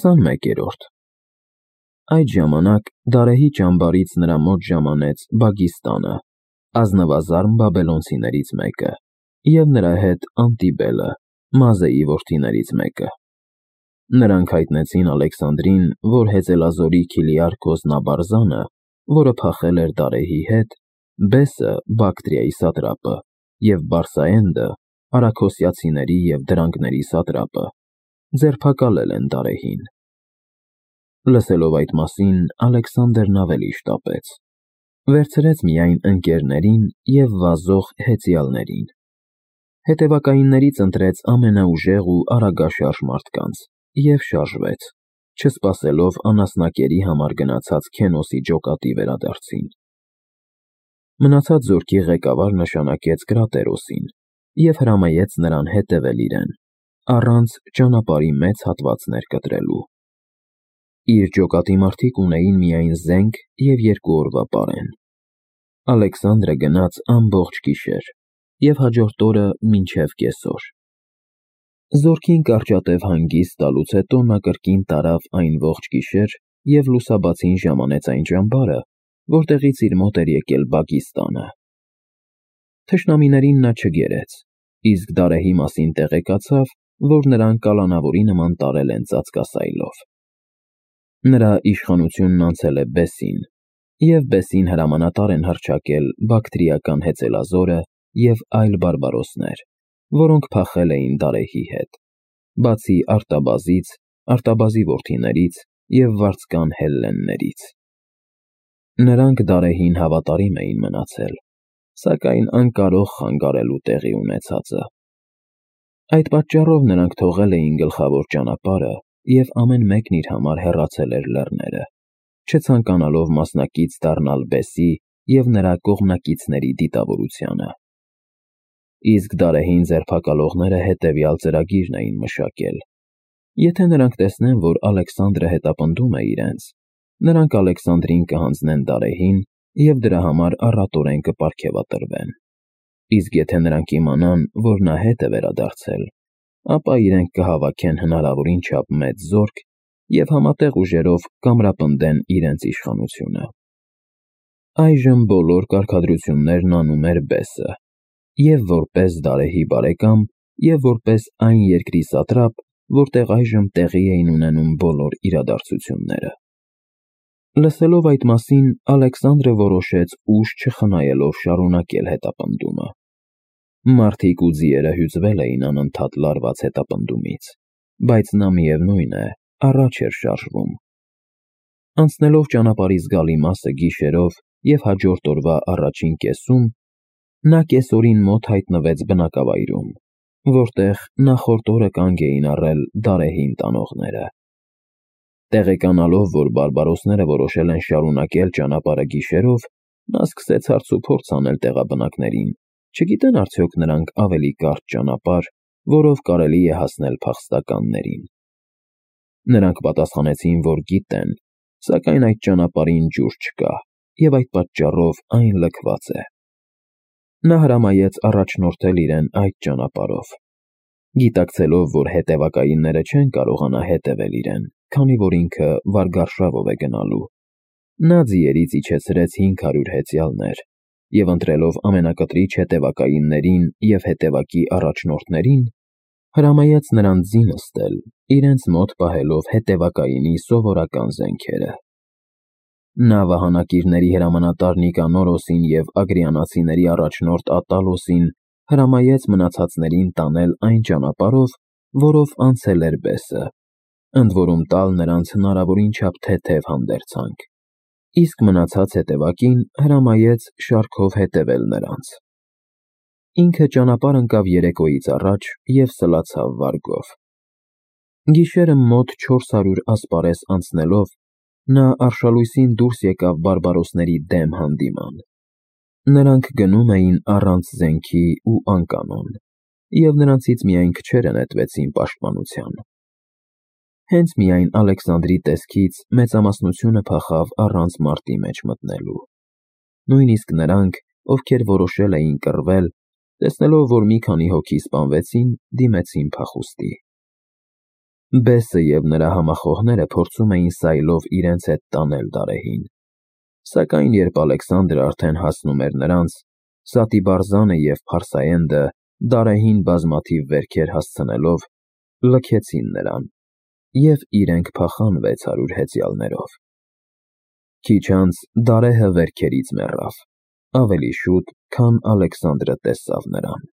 21-րդ Այդ ժամանակ Դարեհի ճամբարից նրա մոտ ժամանեց Բագիստանը, ազնվազարմ բաբելոնցիներից մեկը, և նրա հետ Անտիբելը, Մազեի որդիներից մեկը։ Նրանք հայտնեցին Ալեքսանդրին, որ Հեծելազորի Քիլիարքոս Նաբարզանը, որը փախել էր Դարեհի հետ, Բեսը Բակտրիայի սատրապը և Բարսայենդը արաքոսիացիների և դրանգների սատրապը ձերբակալել են Դարեհին։ Լսելով այդ մասին, Ալեքսանդրն ավելի շտապեց, վերցրեց միայն ընկերներին և վազող հեծյալներին։ Հետևակայիններից ընտրեց ամենաուժեղ ու արագաշարժ մարդկանց և շարժվեց, չսպասելով անասնակերի համար գնացած Քենոսի ջոկատի վերադարձին։ Մնացած զորքի ղեկավար նշանակեց Կրատերոսին և հրամայեց նրան հետևել իրեն, առանց ճանապարհի մեծ հատվածներ կտրելու։ Իր ջոկատի մարդիկ ունեին միայն զենք և 2 օրվա պարեն։ Ալեքսանդրը գնաց ամբողջ գիշեր և հաջորդ օրը մինչև կեսօր։ Զորքին կարճատև հանգիստ տալուց հետո նա կրկին տարավ այն ողջ գիշեր և լուսաբացին ժամանեց այն ճամբարը, որտեղից իր մոտ էր եկել Բագիստանը։ Թշնամիներին նա չգերեց, իսկ Դարեհի մասին տեղեկացավ, որ նրան կալանավորի նման տարել են ծածկասայլով։ Նրա իշխանությունն անցել է Բեսին, և Բեսին հրամանատար են հռչակել բակտրիական Հեծելազորը և այլ բարբարոսներ, որոնք փախել էին Դարեհի հետ, բացի Արտաբազից, Արտաբազի որդիներից և վարձկան հելլեններից։ Նրանք Դարեհին հավատարիմ էին մնացել, սակայն անկարող խանգարելու տեղի ունեցածը։ Այդ պատճառով նրանք թողել էին գլխավոր ճանապարհը և ամեն մեկն իր համար հեռացել էր լեռները, չցանկանալով մասնակից դառնալ Բեսի և նրա կողմնակիցների դիտավորությանը։ Իսկ Դարեհին ձերբակալողները հետևյալ ծրագիրն էին մշակել. Եթե նրանք տեսնեն, որ Ալեքսանդրը հետապնդում է իրենց, նրանք Ալեքսանդրին կհանձնեն Դարեհին և դրա համար առատորեն կպարգևատրվեն։ Իսկ եթե նրանք իմանան, որ նա հետ է վերադարձել, ապա իրենք կհավաքեն հնարավորին չափ մեծ զորք և համատեղ ուժերով կամրապնդեն իրենց իշխանությունը։ Այժմ բոլոր կարգադրություններն անում էր Բեսը, և որպես Դարեհի բարեկամ, և որպես այն երկրի սատրապ, որտեղ այժմ տեղի էին ունենում բոլոր իրադարձությունները։ Լսելով այդ մասին, Ալեքսանդրը որոշեց ուժ չխնայելով շարունակել հետապնդումը։ Մարդիկ ու ձիերը հյուծվել էին անընդհատ լարված հետապնդումից, բայց նա, միևնույն է, առաջ էր շարժվում։ Անցնելով ճանապարհի զգալի մասը գիշերով և հաջորդ օրվա առաջին կեսում, նա կեսօրին մոտ հայտնվեց բնակավայրում, որտեղ նախորդ օրը կանգ էին առել Դարեհին տանողները։ Տեղեկանալով, որ բարբարոսները որոշել են շարունակել ճանապարհը գիշերով, նա սկսեց հարցուփորձ անել տեղաբնակներին, չգիտեն արդյոք նրանք ավելի կարճ ճանապարհ, որով կարելի է հասնել փախստականներին։ Նրանք պատասխանեցին, որ գիտեն, սակայն այդ ճանապարհին ջուր չկա, և այդ պատճառով այն լքված է։ Նա հրամայեց առաջնորդել իրեն այդ ճանապարհով։ Գիտակցելով, որ հետևակայինները չեն կարողանա հետևել իրեն, քանի որ ինքը վարգարշավով է գնալու, նա ձիերից իջեցրեց 500 հեծյալներ և ընտրելով ամենակտրիչ հետևակայիններին և հետևակի առաջնորդներին, հրամայեց նրանց ձի նստել, իրենց մոտ պահելով հետևակայինի սովորական զենքերը։ Նա վահանակիրների հրամանատար Նիկանորոսին և ագրիանացիների առաջնորդ Ատալոսին հրամայեց մնացածներին տանել այն ճանապարհով, որով անցել էր Բեսը, ընդ որում տալ նրանց հնարավորին չափ թեթև հանդերձանք, իսկ մնացած հետևակին հրամայեց շարքով հետևել նրանց։ Ինքը ճանապարհ ընկավ երեկոյից առաջ և սլացավ վարգով։ Գիշերը մոտ 400 ասպարես անցնելով, նա արշալույսին դուրս եկավ բարբարոսների դեմ հանդիման։ Նրանք գնում էին առանց զենքի ու անկանոն, և նրանցից միայն քչերը նետվեցին պաշտպանության։ Հենց միայն Ալեքսանդրի տեսքից մեծամասնությունը փախավ առանց մարտի մեջ մտնելու։ Նույնիսկ նրանք, ովքեր որոշել էին կռվել, տեսնելով, որ մի քանի հոգի սպանվեցին, դիմեցին փախուստի։ Բեսը և նրա համախոհները փորձում էին սայլով իրենց հետ տանել Դարեհին, սակայն երբ Ալեքսանդրը արդեն հասնում էր նրանց, Սատիբարզանը և Փարսայենդը Դարեհին բազմաթիվ վերքեր հասցնելով լքեցին նրան և իրենք փախան 600 հեծյալներով։ Քիչ անց Դարեհը վերքերից մեռավ, ավելի շուտ, քան Ալեքսանդրը տեսավ նրան։